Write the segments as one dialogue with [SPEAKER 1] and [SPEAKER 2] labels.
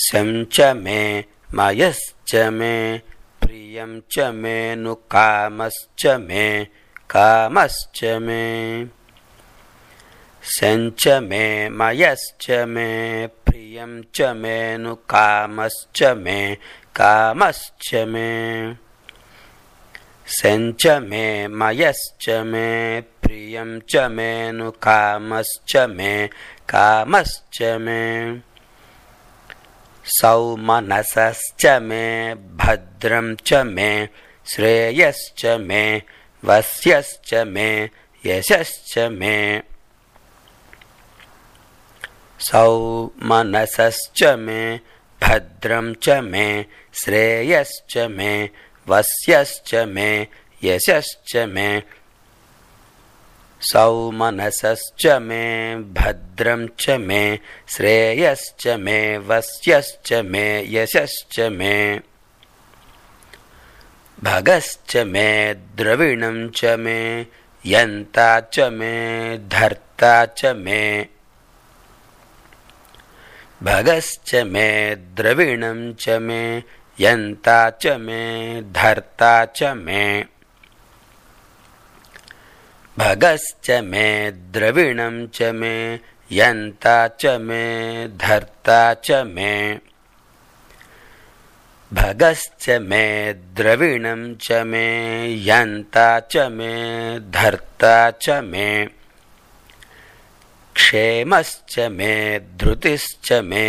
[SPEAKER 1] शं च मे मयश्च मे प्रियं च मे नु कामश्च मे कामश्च मे शं च मे मयश्च मे प्रियं च मे नु कामश्च मे कामश्च मे शं च मे मयश्च मे प्रियं च मे नु कामश्च मे कामश्च मे सौमनसश्च मे भद्रं च मे श्रेयश्च मे वस्यश्च मे यशश्च मे सौमनसश्च मे भद्रं च मे श्रेयश्च मे वस्यश्च मे यशश्च मे सौमनसश्च मे भद्रं च मे श्रेयश्च मे वस्यश्च मे यशश्च मे भगश्च मे द्रविणं च मे यन्ता च मे धर्ता च मे भगश्च मे द्रविणं च मे यन्ता च मे धर्ता च मे भगश्च मे द्रविणं च मे यन्ता च मे धर्ता च मे भगश्च मे द्रविणं च मे यन्ता च मे धर्ता च मे क्षेमश्च मे धृतिश्च मे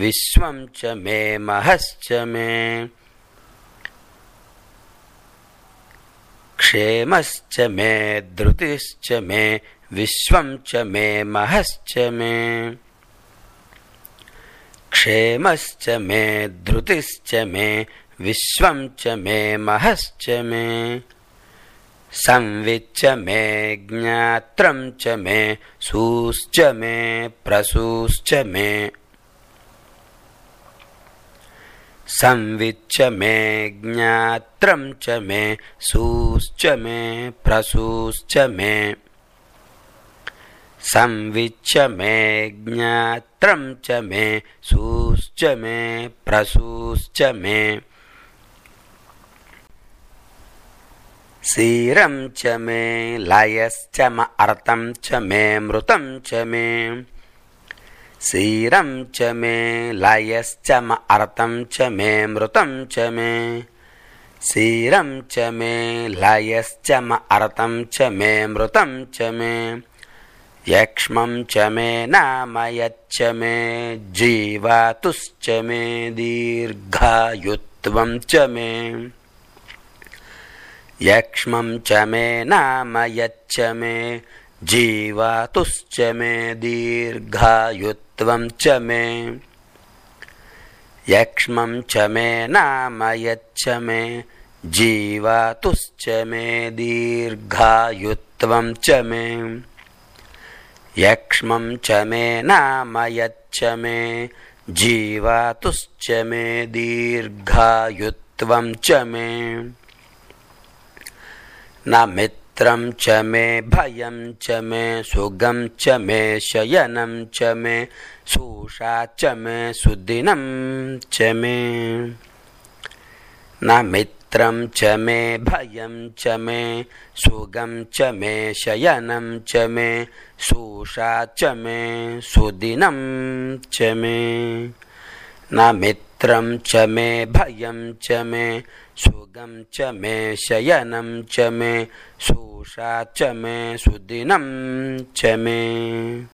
[SPEAKER 1] विश्वं च मे महश्च मे क्षेमश्च मे धृतिश्च मे विश्वं च मे महश्च मे क्षेमश्च मे धृतिश्च मे विश्वं च मे महश्च मे संविच्च मे ज्ञात्रं च मे सूश्च मे प्रसूश्च मे संविच्च मे ज्ञात्रं च मे सूश्च मे प्रसूश्च मे संविच्च मे ज्ञात्रं च मे सूश्च मे प्रसूश्च मे क्षीरं च मे लयश्च अर्तं च मे मृतं च मे क्षीरं च मे लयश्च अर्तं च मे मृतं च मे क्षीरं च मे लयश्च अर्तं च मे मृतं च मे यक्ष्मं च मे नामयच्च मे जीवातुश्च मे दीर्घायुत्वं च मे यक्ष्मं च मे नामयच्च मे जीवातुश्च मे दीर्घायुत्वं च मे यक्ष्मं च मे नामयच्च मे जीवातुश्च मे दीर्घायुत्वं च मे यक्ष्मं च मे नामयच्च मे जीवातुश्च मे दीर्घायुत्वं च मे न मित्रं च मे भयं च मे सुगं च मे शयनं च मे सूषा च मे सुदिनं च मे न मित्रं च मे भयं च मे सुगं च मे शयनं च मे सूषा च मे सुदिनं च मे न मित्रं च मे भयं च मे सुगं च मे शयनं च मे सूषा च मे सुदिनं च मे।